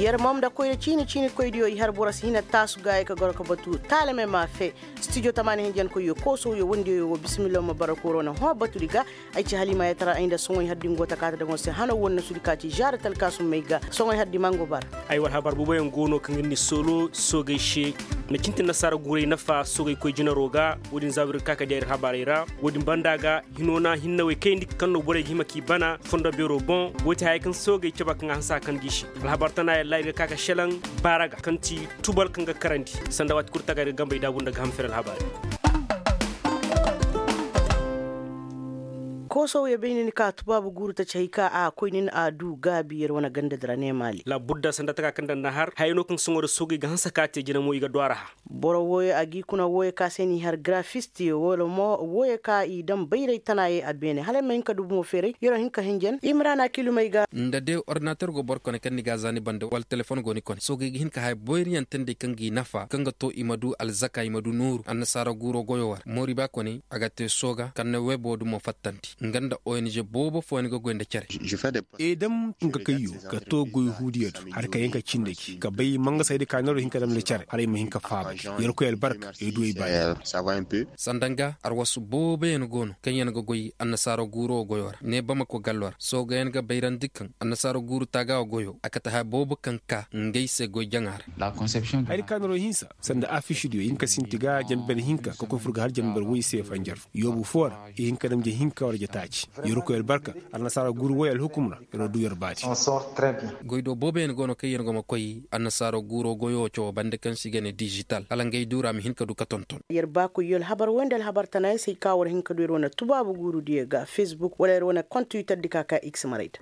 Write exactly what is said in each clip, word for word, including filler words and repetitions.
Yer mom nda koyra ciini ciini koydiyo i har boro si hina taasu ga ay ka goro ka batu taalamey ma fee. Stijo tamaani hinjankoyyo koosowyo wondiyoyo wo bisimillaw ma bara kooro na hõ batudi ga. Ay ci halimaayatara ay nda soŋoy hardi ngo ta kaata daŋo se hano wonno sudi ka ci zaara talkaasummey ga soŋoy hardi mango bara. Ay war habar booboyaŋ go no kaŋ ga ni soolo soogey se. Na cintin nasaara guuray nafa soogey koy jinaro ga. Wo-din zaawir ga ka ka diya ir habarey ra. Wo-din banda ga hino na hinnawey kayandi kaŋ no borey ga hima k'i bana fondo beero boŋ. Wo ti haya kaŋ soogey caba kaŋ a hanse a kan gi se. Alhabar tana yalla ir ga ka ka selaŋ baara ga kaŋ ti tubal kaŋ ga karandi sanda waati kulu taga ir ga gambey daabu nda ga ham fere alhabaari. Koosow ya bay ni ka tubaabu guuru taci hay ka a koy nin a du gaabi yer wane ganda dira ne maali. Laabudda sanda taka kaŋ daŋ na har haya no kaŋ soŋo da soogey ga hanse ka te jina mo i ga du a ra ha. Boro wooyo a g'i kuna wooyo ka se n'i har garafist wala mo wooyo ka i daŋ bayray tana ye a beene hala ay ma hin ka du bumo feeray yer wo hin ka hinjan imrana kilumey ga. Nda de ordinator go boro kone kaŋ ni ga a za ni banda wala telefon go ni kone soogey ga hin ka haya boyriyaŋ teendi kaŋ g'i nafa kaŋ ga to i ma du alzaka i ma du nooru annasaara guuro goyo war moori ba kone a ga te sooga kaŋ na webo dumo fattandi nga nda ong boobo fooyaŋ ga goy nda cere. I dam nga kayyo ka to goy huudiyo do har ka yaŋ ka cindi gi ka bay mangasaydi ka neero hin ka dam nda cere hala ay ma hin ka faaba gi yerkoy albarka ay du ay baani. Sanda nga arwasu booboyaŋ go no kaŋ yaŋ ga goy annasaara guuro goyo ra ne bamako gallo ra soogayaŋ ga bayrandi kaŋ annasaara guuru taaga goyo a kate haya boobo kaŋ ka ngey se goy jaŋa ra. Hayadi ka neero hinsa sanda afiisidiyo i hin ka sinti ga janber hinka ka koy fur ga har janber woy se fanjar fo yoobu foo ra i hin ka dam ja hinka wala ja taaci. Yerkoy albarka annasaara guuru woy alhukum ra. Yer wo du yer baati. Goydo booboyaŋ go no kaŋ yer go ma koy annasaara guuro goyo cawo banda kaŋ se i ga ne dizital hala ngey duura ma hin ka du ka tonton. Yer baakoyyo alhabar woy nda alhabar tanaayey se ay ka war hin ka du yer wane tubaabu guurudiyo ga fesbuk wala yer wane kont twitterdi ka ka x maray da.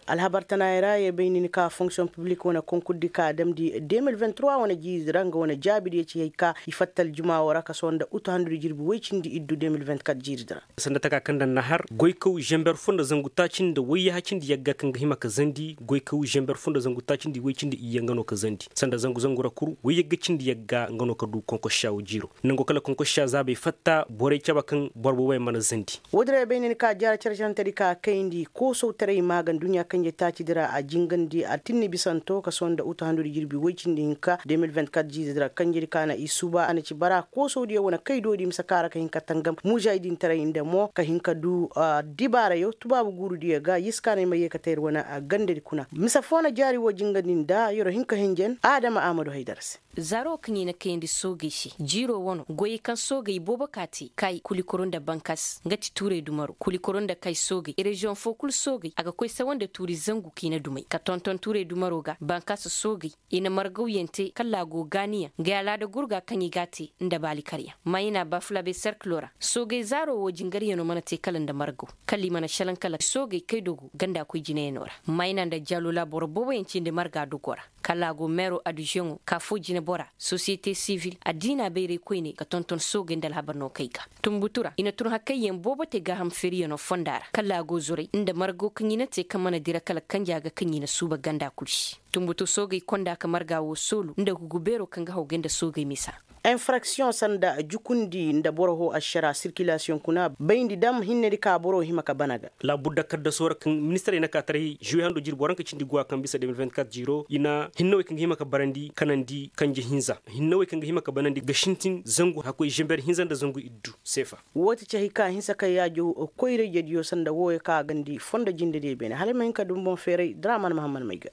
Alhabar tanaayey ra yer bay ni ni ka fonksiyoŋ piblik wane konkurdi ka a damndi deux mille vingt trois wane jiiridi ra nga wane jaabidiyo ci hay ka i fatta aljuma wo ra ka sohõ nda utu handudi jirbi woy cindi iddu deux mille vingt quatre jiiridi ra. Sanda taka kaŋ daŋ na har goykaw zamber fo nda zangu taaci nda wayyaha cindi yagga kaŋ ga hima ka zandi goykaw zamber fo nda zangu taaci nda way cindi iyye nga no ka zandi sanda zangu zangu ra kul wayyagga cindi yagga nga no ka du konkosha wo jiiro nango kala konkosha zaabey fatta borey cabe kaŋ boro booboyaŋ mana zandi. Woodin ra ay bay ni ni ka jaara care carantedi ka kayndi koosawtaray maaga nduɲɲa kanjey taacidi ra a jingandi a tinni bisanto ka sohõ nda utu handudi jirbi woy cindi hinka deux mille vingt quatre jiizedi ra kanjedi ka na i suuba a na ci bara koosawdiyo wane kaydoodi mise ka ra ka hin ka tangam muzaydintaray nda mo ka hin ka du dibaarayo tubaabu guurudiyo ga yee si ka no ay ma yee ka tee yer wane gandadi kuna mise foo na jaari woo jingandi nda yer'o hin ka hinjan aadama aamadu haydara se. Zaaro kaŋ i na kayandi soogey se jiiro wano goyey kaŋ soogey boobo ka te kay kulikoro nda bankas nga ti tuuray dumaro kulikoro nda kay soogey reziyoŋ foo kul soogey a ga koy sawa nda tuuri zangu k'i na dumey ka tonton tuuray dumaro ga bankas soogey i na margawyaŋ te kala a go gaaniyaŋ nga i alaada gurga kaŋ i g'a te nda baalikaryaŋ mayna bafulabe serkilo ra soogey zaaro woo jingaryaŋo mana te kala nda margaw kala i mana šelaŋ kala soogey kaydogo ganda koy jinayaŋo ra mayna nda jalula boro booboyaŋ cindi marga dogo ra kala a go meero aduzeŋo ka foo jinebora sosiyete sivil addiina bayray koyne ka tonton soogey nda alhabar no kay ga tunbutu ra i na tun hakayyaŋ boobo te gaaham feeriyaŋo fonda ra kala a go zuray nda margo kaŋ i na te kaŋ mana dira kala kanja ga kaŋ i na suuba ganda kul se tunbutu soogey konda ka marga woo soolu nda gugu beero kaŋ ga hawgay nda soogey misa. Infraksiyoŋ sanda jukundi nda boro hoo ašara sirkilasiyoŋ kuna bayndi dam hinnedi ka boro hima ka bana ga. Laabudda kaddasoo ra kaŋ ministirey na ka taray žuwe hando jirbi waranka cindi guwa kaŋ bisa deux mille vingt quatre jiiro i na hinnawey kaŋ ga hima ka barandi kanandi kanje hinza hinnawey kaŋ ga hima ka banandi ga sintin zangu hakkoy žember hinza nda zangu iddu seefa. Woo ti cahey ka hinsa ka yaajo koyrayjediyo sanda wooyo ka a gandi fondo jindediyo beene hala ay ma hin ka dum boŋ feeray draman mahammad may ga.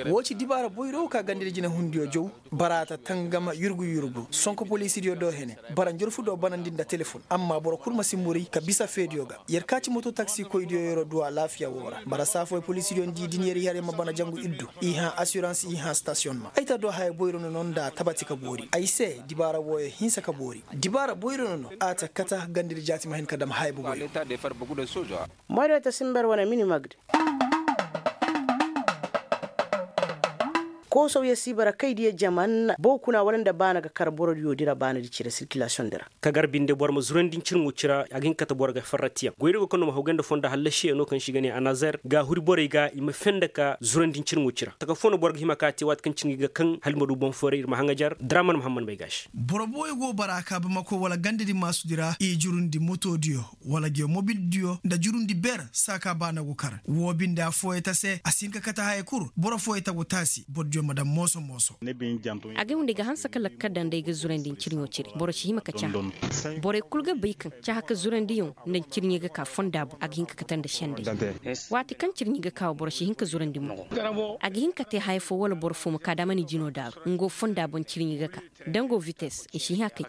Woo ci dibaara boyro ka gandidi jinehundiyo jow. Bara ta tangama yurgu yurgu sonko poliisidiyo do hene bara njorfu do banandi nda telefon amma boro kul ma si muri ka bisa feediyo ga. Yer ka ci moto taksikoydiyo yer'o du alaafiya woo ra bara saafoy poliisidiyo nda i din yer i har yer ma bana jangu iddu i hã asirans i hã stasiyoŋ ma ay ta do haya boyro no no nda tabati ka boori ay se dibaara wooyo hinsa ka boori dibaara boyro no no a ta kata gandidi jaati ma hin ka dam haya boboyo. Moyro ta simber wane mini magdi. Koosawyaŋ si bara kay diya jaman boo kuna wala nda baana ga kar borodiyo dira baanadi cire sirkilasiyoŋ dira. Ka gar binde boro ma zurandi ncirŋo cira a ga hin ka kate boro ga farratiyaŋ goyri go kaŋ no ma haw gay nda fonda hallasiyaŋo kaŋ se i ga ne anazer ga a huri borey ga i ma fenda ka zurandi ncirŋo cira taka fo no boro ga hima ka a te waati kaŋ cirŋi ga kaŋ hala i ma du boŋ fooray ir ma haŋajar draman muhammad may ga a se. Boro booyo go bara ka bamako wala ganda di maasu di ra i jurundi moto diyo wala geew mobil diyo nda jurundi ber saaka baana go kar woo binde affooyey ta se a si hin ka kate haya kul boro fooyey ta go taasi boro diyo ma daŋ mooso mooso. Agay windi ga hanse ka lakkal daŋ day ga zurandi ncirɲo cire boro si hima ka cahã. Borey kul ga bay kaŋ cahã ka zurandiyaŋ nda ncirɲey ga ka fonda boŋ a ga hin ka kate nda sendey. Waati kaŋ cirɲey ga ka wo boro si hin ka zurandi mo. A ga hin ka te haya fo wala boro fo ma ka da a mana i jino daaru nga wo fonda boŋ cirɲey ga ka. Dango vites i si hin a kay.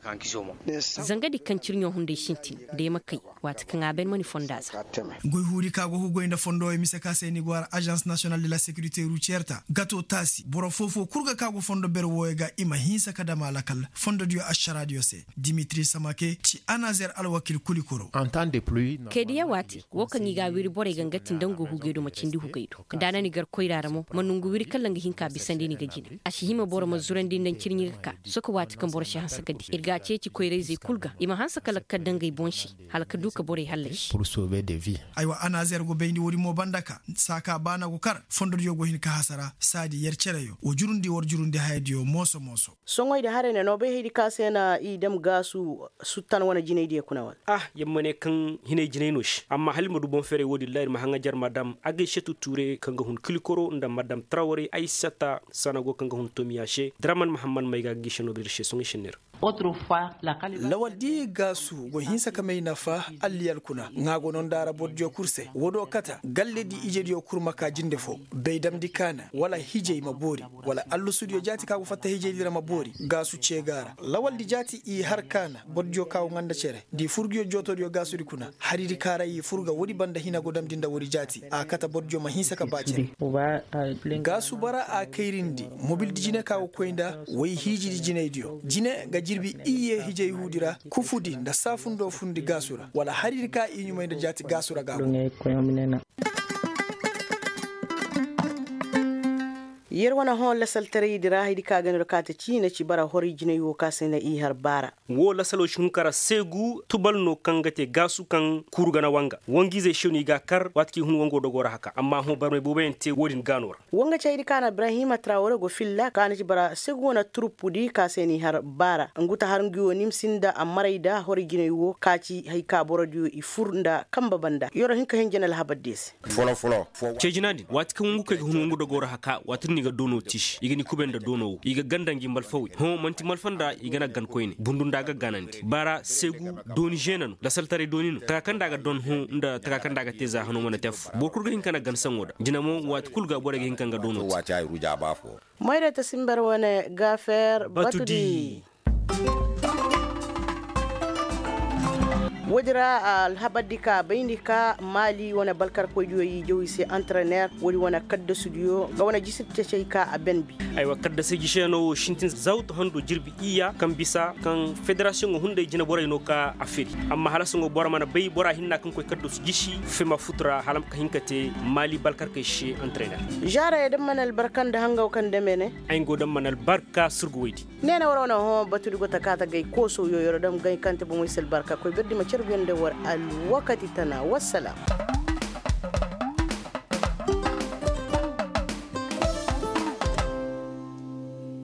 Zanga di kaŋ cirɲo hunday sintin da ay ma kay. Waati kaŋ a bay ni ma ni fonda za. Goy huuri ka go hugoy nda fondo way mise ka se ni go har agence national de la securité routière ta gato taasi boro foo-foo kul ga ka go fondo ber wooyo ga i ma hinsa ka dam a lakal fondo diyo ašara diyo se. Dimitri samake ci anazer alwakil kuli koro. Kay diya waati wo kaŋ i ga a wiri borey ga nga ti nda nga hugay do ma cindi hugay do. Da a na ni gar koyra ra mo ma nongu wiri kala nga hin ka bisandi ni ga jina a si hima boro ma zurandi nda ncirɲi ga ka. Sohõ waati kaŋ boro si hanse ka di ir ga a ceeci koyra-izey kul ga i ma hanse ka lakkal daŋ ngey boŋ se. Hala ka du ka borey hallasi. Aywa anazer go bayndi woodi mo banda ka saaka baana go kar fondodiyo go hin ka hasara saadi yer cereyo wa jurundi war jurundi hayadiyo mooso mooso. Soŋoy da haray ne no bay haydi ka se na i dam gaasu suttan wane jinaydiyo kuna wala? Ah yer ma ne kaŋ hinay jinay no se amma hala ir ma du boŋ feeray woodin ra ir ma haŋajer madam agay setu tuure kaŋ ga hun kilikoro nda madam trawre ay sata sanago kaŋ ga hun tomiya se draman mahammad may ga ga gise no ga dir se soŋay se neera. Lawal di gaasu go hinsa ka may nafa alliyal kuna ŋaa go no nda ra bordiyo kul se woo do kata galle di ijediyo kul ma ka jinde foo bay damndi kaana wala hijay ma boori wala allusudiyo jaati ka go fatta hijaydi ra ma boori gaasu cee ga a ra lawal di jaati i har kaana bordiyo ka go ŋaa nda cere da i fur nguyo jootodiyo gaasudi kuna haridi ka ra i fur ga woodi banda hina go damndi nda woodi jaati a kate bordiyo ma hinsa ka ba cere. Gaasu bara a kayrindi mobildi jine ka go koy nda way hiijidi jinaydiyo jine ga jirbi iyye hijay huudi ra kufudi nda saafundo fundi gaasu ra wala haridi ka i ɲumay nda jaati gaasu ra ga a go. Yer wane hõ lasaltaraydi ra haydi ka ga no ra kaate ciina ci bara horay jinay wo ka se na i har baara. Woo lasalo si hun kara seegu tubal no kaŋ ga te gaasu kaŋ kuuru gana wanga wangiizey se no i ga a kar waati kaŋ i hun wango dogo ra haka amma hõ barmay booboyaŋ te woodin gaano ra. Wanga caydi ka na ibrahima trawre go filla ka na ci bara seegu wane turupudi ka se no i har baara ngu ta har ngu wo nimsi nda ammaray nda horay jinay wo ka ci hay ka borodiyo i fur nda kambe banda yer wo hin ka hin jina alhabar diyo se. Ceejina din waati kaŋ wangu kay ga hun wangu dogoo ra haka waati din i ga doono tiisi i ga ni kubay nda doono wo i ga ganda ngi malfawey hõ man'ti malfa nda i ga na gan koyne bundu nda a ga ganandi baara seegu dooni žeena no lasaltaray dooni no taka kaŋ nda a ga don hõ nda taka kaŋ nda a ga te za hano mana te affo boro kul ga hin ka na gan saŋo da jina mo waati kul ga borey ga hin ka nga doono te. Moyre ta simber wane gafer batudi. Woodi ra alhabardi ka bayndi ka maali wane balkarkoydiyo i jaw i se antrener woodi wane kaddasudiyo nga wane jisir cecey ka a ben bi. Aywa kaddasey jisey no wo sintin zawtu hando jirbi iyya kaŋ bisa kaŋ federasiyoŋo hunday jineborey no ka a firi. Amma hala sohõ boro mana bay bora hinna kaŋ koy kaddasu jisi fema futu ra hala ma ka hin ka te maali balkarkey se antrener. Zaara ya daŋ mana albarka nda hangaw kaŋ dame ne. Ay nga wo daŋ mana albarka surguwaydi. Neene war wane hõ batudi go ta kaate gay koosow yoyoro dam gay kaŋ te bomoy si albarka koy birdi ma carbiyaŋ nda war alwakati tana wassalam.